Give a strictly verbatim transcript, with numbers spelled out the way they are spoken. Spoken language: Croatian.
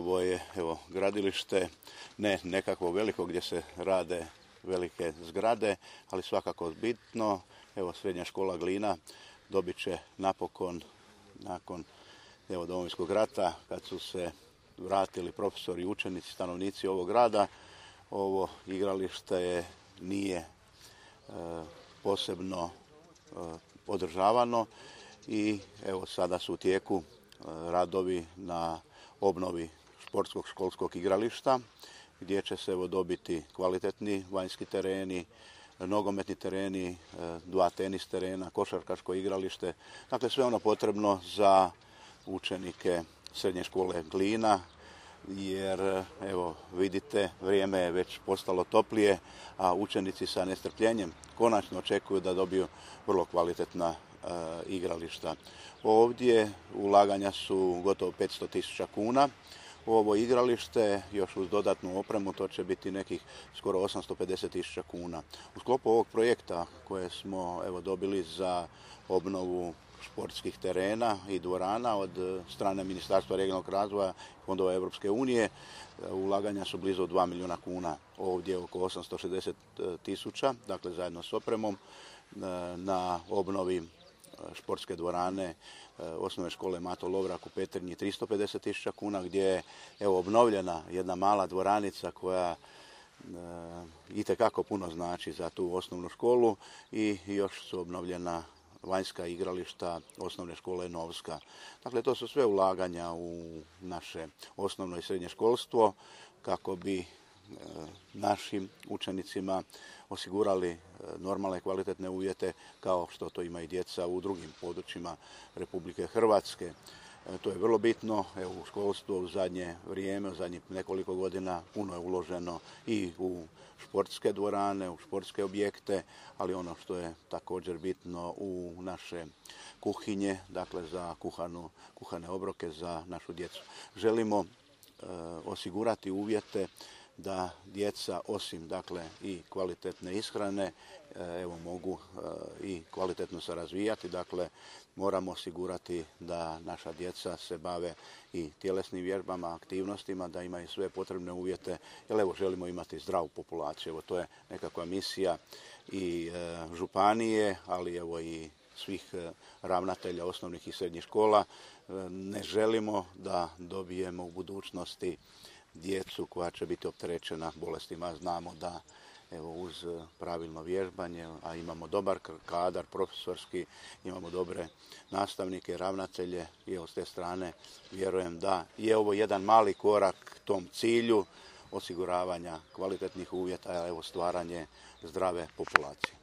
ovo je evo, gradilište, ne nekakvo veliko gdje se rade velike zgrade, ali svakako bitno. Evo, srednja škola Glina dobit će napokon, nakon evo, Domovinskog rata, kad su se vratili profesori, učenici, stanovnici ovog grada, ovo igralište je, nije e, posebno e, održavano i evo sada su u tijeku e, radovi na obnovi športskog školskog igrališta, gdje će se evo, dobiti kvalitetni vanjski tereni, nogometni tereni, dva tenis terena, košarkaško igralište. Dakle, sve ono potrebno za učenike srednje škole Glina, jer evo vidite, vrijeme je već postalo toplije, a učenici sa nestrpljenjem konačno očekuju da dobiju vrlo kvalitetna e, igrališta. Ovdje ulaganja su gotovo petsto tisuća kuna. Ovo igralište, još uz dodatnu opremu, to će biti nekih skoro osamsto pedeset tisuća kuna. U sklopu ovog projekta koje smo evo, dobili za obnovu športskih terena i dvorana od strane Ministarstva regionalnog razvoja i fondova Europske unije, ulaganja su blizu dva milijuna kuna. Ovdje oko osamsto šezdeset tisuća, dakle zajedno s opremom, na obnovi športske dvorane osnovne škole Mato Lovrak u Petrinji tristo pedeset tisuća kuna, gdje je evo, obnovljena jedna mala dvoranica koja e, itekako puno znači za tu osnovnu školu i još su obnovljena vanjska igrališta osnovne škole Novska. Dakle, to su sve ulaganja u naše osnovno i srednje školstvo kako bi našim učenicima osigurali normalne kvalitetne uvjete kao što to ima i djeca u drugim područjima Republike Hrvatske. To je vrlo bitno. Evo, u školstvu u zadnje vrijeme, u zadnjih nekoliko godina puno je uloženo i u športske dvorane, u športske objekte, ali ono što je također bitno u naše kuhinje, dakle za kuhanu, kuhane obroke za našu djecu. Želimo e, osigurati uvjete da djeca osim dakle i kvalitetne ishrane evo mogu i kvalitetno se razvijati. Dakle, moramo osigurati da naša djeca se bave i tjelesnim vježbama, aktivnostima, da imaju sve potrebne uvjete, jer evo želimo imati zdravu populaciju. Evo, to je nekakva misija i e, županije, ali evo i svih ravnatelja osnovnih i srednjih škola. Ne želimo da dobijemo u budućnosti djecu koja će biti opterećena bolestima. Znamo da evo, uz pravilno vježbanje, a imamo dobar kadar profesorski, imamo dobre nastavnike, ravnatelje i evo, s te strane vjerujem da je ovo jedan mali korak tom cilju osiguravanja kvalitetnih uvjeta, a evo stvaranje zdrave populacije.